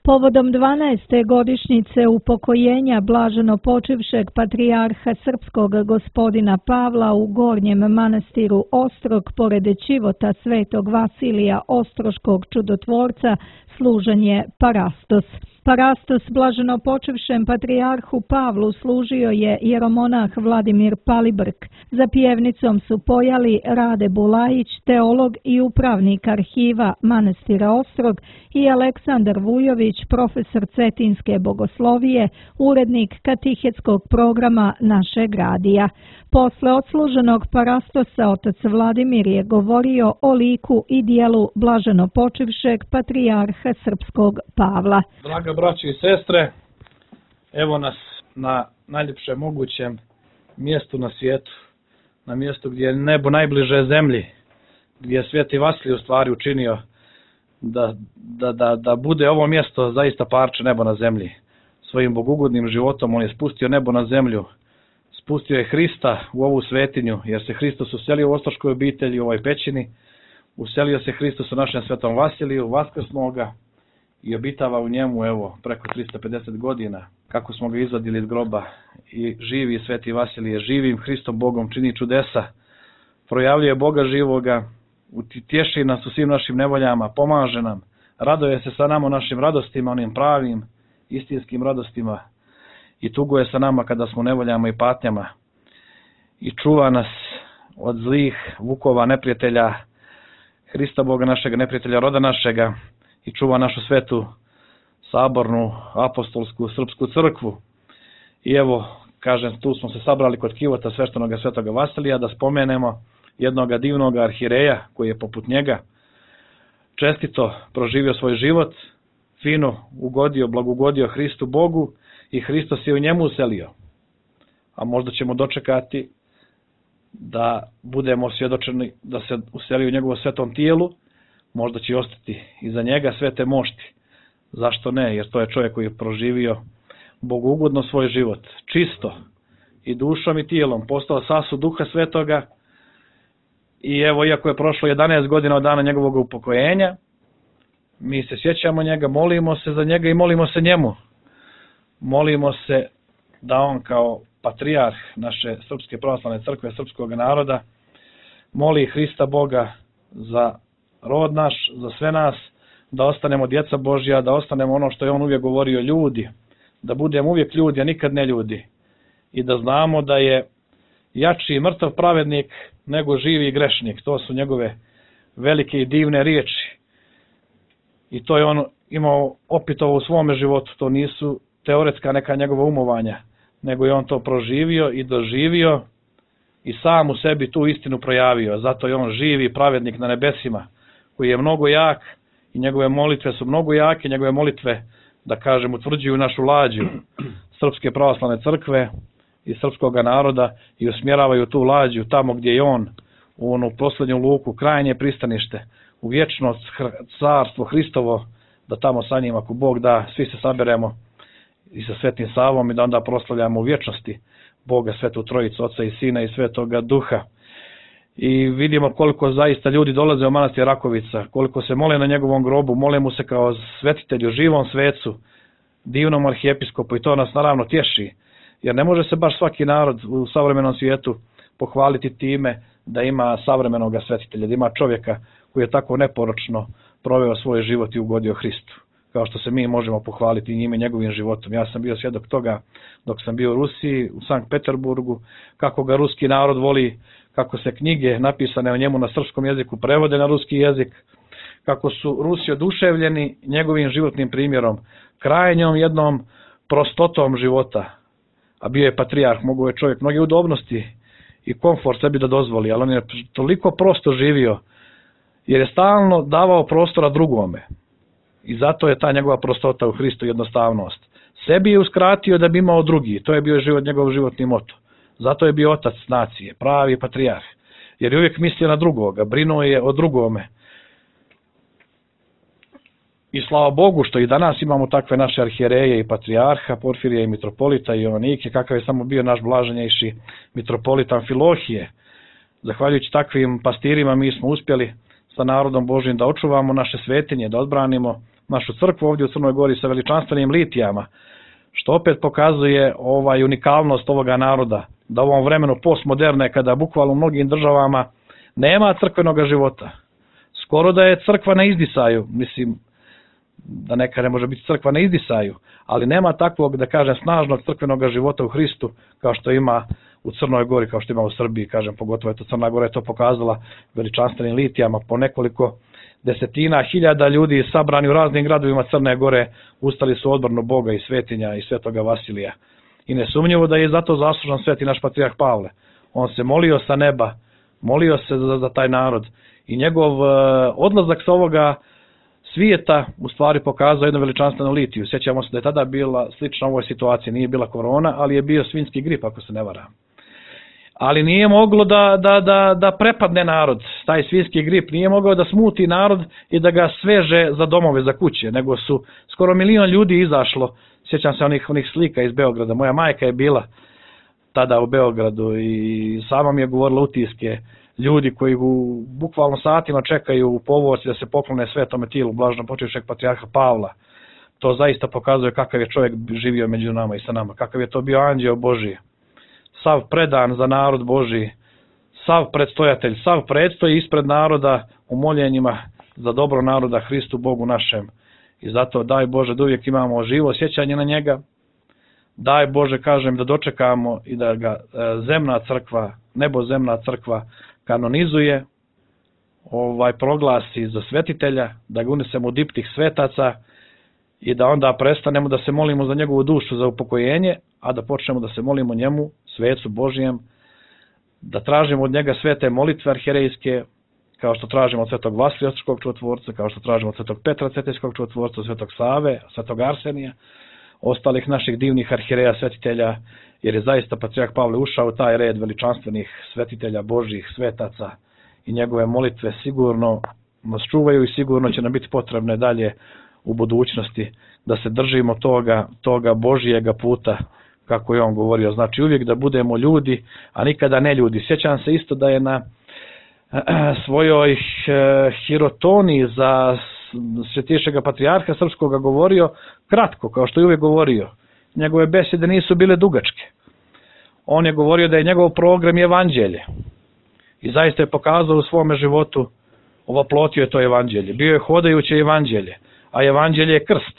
Povodom 12. godišnjice upokojenja blaženopočivšeg patrijarha srpskog gospodina Pavla u Gornjem manastiru Ostrog pored Ćivota Svetog Vasilija Ostroškog čudotvorca služen je parastos. Parastos blaženopočivšem patrijarhu Pavlu služio je jeromonah Vladimir Palibrk. Za pjevnicom su pojali Rade Bulajić, teolog i upravnik arhiva manastira Ostrog, i Aleksandar Vujović, profesor cetinske bogoslovije, urednik katehetskog programa našeg radija. Posle odsluženog parastosa otac Vladimir je govorio o liku i dijelu blaženopočivšeg patrijarha srpskog Pavla. Draga braćo i sestre, evo nas na najljepšem mogućem mjestu na svijetu, na mjestu gdje je nebo najbliže zemlji, gdje je Sveti Vasilij u stvari učinio da bude ovo mjesto zaista parče nebo na zemlji. Svojim bogugodnim životom on je spustio nebo na zemlju, spustio je Hrista u ovu svetinju, jer se Hristos uselio u Ostroškoj obitelji, u ovoj pećini, uselio se Hristos u našem Svetom Vasiliju, vaskrsnuo ga i obitava u njemu, evo, preko 350 godina, kako smo ga izvadili iz groba. I živi Sveti Vasilije, živim Hristom Bogom čini čudesa, projavljuje Boga živoga, utješi nas u svim našim nevoljama, pomaže nam, raduje se sa nama u našim radostima, onim pravim, istinskim radostima, i tuguje sa nama kada smo u nevoljama i patnjama, i čuva nas od zlih vukova neprijatelja, Hrista Boga našega, neprijatelja roda našega, i čuva našu svetu, sabornu, apostolsku, srpsku crkvu. I evo, kažem, tu smo se sabrali kod kivota sveštenoga Svetoga Vasilija da spomenemo jednog divnog arhireja koji je poput njega čestito proživio svoj život, fino ugodio, blagogodio Hristu Bogu, i Hristos je u njemu uselio. A možda ćemo dočekati da budemo svjedočeni da se useli u njegovom svetom tijelu, možda će ostati iza njega svete mošti. Zašto ne? Jer to je čovjek koji je proživio bogougodno svoj život, čisto, i dušom i tijelom, postao sasud Duha Svetoga. I evo, iako je prošlo 11 godina od dana njegovog upokojenja, mi se sjećamo njega, molimo se za njega i molimo se njemu. Molimo se da on kao patrijarh naše Srpske pravoslavne crkve, srpskog naroda, moli Hrista Boga za rod naš, za sve nas, da ostanemo djeca Božja, da ostanemo ono što je on uvijek govorio, ljudi, da budemo uvijek ljudi, a nikad ne ljudi, i da znamo da je jači i mrtav pravednik nego živi grešnik. To su njegove velike i divne riječi, i to je on imao opitovo u svome životu. To nisu teoretska neka njegova umovanja, nego je on to proživio i doživio i sam u sebi tu istinu projavio. Zato je on živi pravednik na nebesima, koji je mnogo jak, i njegove molitve su mnogo jake, njegove molitve, da kažem, utvrđuju našu lađu Srpske pravoslavne crkve i srpskog naroda i usmjeravaju tu lađu tamo gdje je on, u onu posljednju luku, krajnje pristanište, u vječnost, carstvo Hristovo, da tamo sa njim, ako Bog da, svi se saberemo i sa Svetim Savom, i da onda proslavljamo u vječnosti Boga, Svetu Trojicu, Oca i Sina i Svetoga Duha. I vidimo koliko zaista ljudi dolaze u manastir Rakovica, koliko se mole na njegovom grobu, mole mu se kao svetitelju, živom svecu, divnom arhijepiskopu, i to nas naravno tješi, jer ne može se baš svaki narod u savremenom svijetu pohvaliti time da ima savremenog svetitelja, da ima čovjeka koji je tako neporočno proveo svoj život i ugodio Hristu, kao što se mi možemo pohvaliti njime, njegovim životom. Ja sam bio svjedok toga dok sam bio u Rusiji, u Sankt Peterburgu, kako ga ruski narod voli, kako se knjige napisane o njemu na srpskom jeziku prevode na ruski jezik, kako su Rusi oduševljeni njegovim životnim primjerom, krajnjom jednom prostotom života. A bio je patrijarh, mogao je čovjek mnoge udobnosti i komfort sebi da dozvoli, ali on je toliko prosto živio, jer je stalno davao prostora drugome. I zato je ta njegova prostota u Hristu, jednostavnost. Sebi je uskratio da bi imao drugi, to je bio njegov životni moto. Zato je bio otac nacije, pravi patrijarh, jer je uvijek mislio na drugoga, brinuo je o drugome. I slava Bogu što i danas imamo takve naše arhijereje i patrijarha, Porfirija i mitropolita i Ionike, kakav je samo bio naš blaženjejši mitropolit Amfilohije. Zahvaljujući takvim pastirima mi smo uspjeli sa narodom Božjim da očuvamo naše svetinje, da odbranimo našu crkvu ovdje u Crnoj Gori sa veličanstvenim litijama, što opet pokazuje unikalnost ovoga naroda, da u ovom vremenu postmoderne, kada bukvalno u mnogim državama nema crkvenog života. Skoro da je crkva na izdisaju, mislim da neka ne može biti crkva na izdisaju, ali nema takvog, da kažem, snažnog crkvenog života u Hristu kao što ima u Crnoj Gori, kao što ima u Srbiji, kažem, pogotovo je Crna Gora je to pokazala veličanstvenim litijama, po nekoliko desetina hiljada ljudi sabrani u raznim gradovima Crne Gore ustali su odbranu Boga i svetinja i svetoga Vasilija. I nesumnjivo da je zato zaslužan sveti naš patrijarh Pavle. On se molio sa neba, molio se za taj narod i njegov odlazak sa ovoga svijeta u stvari pokazao jednu veličanstvenu litiju. Sjećamo se da je tada bila slična ovoj situaciji, nije bila korona, ali je bio svinjski grip, ako se ne varam. Ali nije moglo da prepadne narod, taj svinjski grip, nije mogao da smuti narod i da ga sveže za domove, za kuće, nego su skoro 1 milion ljudi izašlo. Sjećam se onih slika iz Beograda, moja majka je bila tada u Beogradu i sama mi je govorila utiske, ljudi koji bukvalno satima čekaju u povorci da se poklone svetome tilu blaženopočivšeg patrijarha Pavla. To zaista pokazuje kakav je čovjek živio među nama i sa nama, kakav je to bio anđeo Božiji. Sav predan za narod Božiji, sav predstojatelj, sav predstoji ispred naroda u moljenjima za dobro naroda Hristu Bogu našem. I zato daj Bože da uvijek imamo živo sjećanje na njega, daj Bože, kažem, da dočekamo i da ga zemna crkva, nebozemna crkva kanonizuje, proglasi za svetitelja, da ga unesemo u diptih svetaca i da onda prestanemo da se molimo za njegovu dušu, za upokojenje, a da počnemo da se molimo njemu, svecu Božijem, da tražimo od njega svete molitve arhijerejske, kao što tražimo od svetog Vasilija Ostrškog čudotvorca, kao što tražimo od svetog Petra Cetinskog čudotvorca, svetog Save, svetog Arsenija, ostalih naših divnih arhijereja, svetitelja, jer je zaista patrijarh Pavle ušao u taj red veličanstvenih svetitelja Božjih, svetaca i njegove molitve sigurno nas čuvaju i sigurno će nam biti potrebne dalje u budućnosti da se držimo toga Božijega puta, kako je on govorio, znači uvijek da budemo ljudi, a nikada ne ljudi. Sjećam se isto da je na svojoj hirotoniji za svetišega patrijarha srpskoga govorio kratko, kao što je uvijek govorio. Njegove besede nisu bile dugačke. On je govorio da je njegov program evanđelje. I zaista je pokazao u svome životu, ovoplotio je to evanđelje. Bio je hodajuće evanđelje, a evanđelje je krst.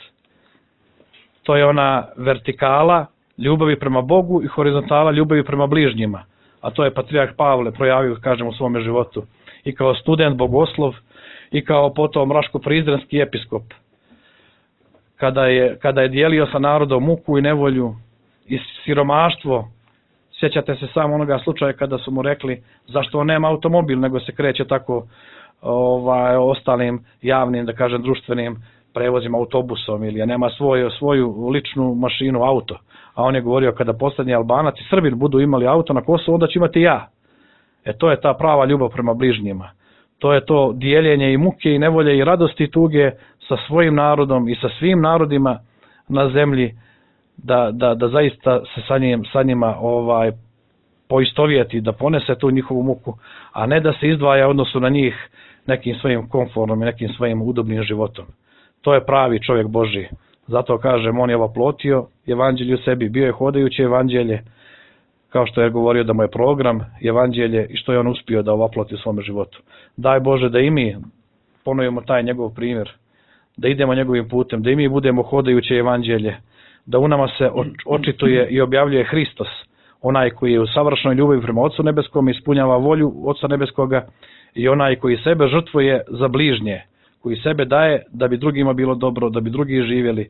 To je ona vertikala ljubavi prema Bogu i horizontala ljubavi prema bližnjima. A to je patrijarh Pavle projavio, kažem, u svome životu. I kao student bogoslov, i kao potom raško-prizrenski episkop. Kada je dijelio sa narodom muku i nevolju i siromaštvo, sjećate se samo onoga slučaja kada su mu rekli zašto on nema automobil, nego se kreće tako ostalim javnim, da kažem, društvenim prevozima, autobusom, ili nema svoju ličnu mašinu, auto. A on je govorio, kada posljednji Albanac i Srbin budu imali auto na Kosovu, onda ću imati ja. To je ta prava ljubav prema bližnjima. To je to dijeljenje i muke i nevolje i radosti i tuge sa svojim narodom i sa svim narodima na zemlji, da zaista se sa njima poistovjeti, da ponese tu njihovu muku, a ne da se izdvaja u odnosu na njih nekim svojim komfornom i nekim svojim udobnim životom. To je pravi čovjek Božji. Zato kažem, on je oplotio evanđelje u sebi, bio je hodajuće evanđelje, kao što je govorio da mu je program evanđelje i što je on uspio da oploti u svome životu. Daj Bože da i mi ponovimo taj njegov primjer, da idemo njegovim putem, da i mi budemo hodajuće evanđelje, da u nama se očituje i objavljuje Hristos, onaj koji je u savršnoj ljubavi prema Otcu Nebeskom, ispunjava volju Otca Nebeskoga, i onaj koji sebe žrtvuje za bližnje, koji sebe daje da bi drugima bilo dobro, da bi drugi živjeli.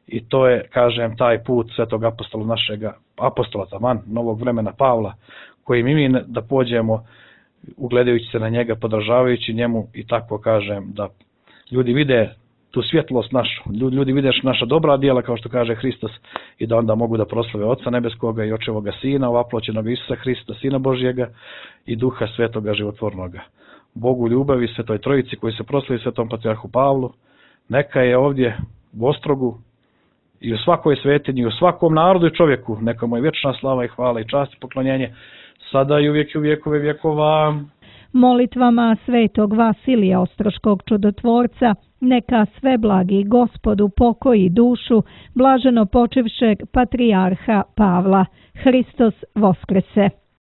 I to je, kažem, taj put svetog apostola našega, apostola taman, novog vremena Pavla, koji mi da pođemo ugledajući se na njega, podržavajući njemu i tako, kažem, da ljudi vide tu svjetlost našu, ljudi vide naša dobra djela, kao što kaže Hristos, i da onda mogu da proslave Otca Nebeskoga i Očevoga Sina, ovaploćenog Isusa Hrista, Sina Božjega i Duha Svetoga životvornoga. Bogu ljubavi, Svetoj Trojici koji se proslavi Svetom patrijarhu Pavlu, neka je ovdje u Ostrogu i u svakoj svetinji, i u svakom narodu i čovjeku, neka mu je vječna slava i hvala i čast i poklonjenje, sada i uvijek i u vjekove vjekova. Molitvama svetog Vasilija Ostroškog čudotvorca Neka sveblagi Gospod upokoji dušu blaženo počivšeg patrijarha Pavla. Hristos Voskrese.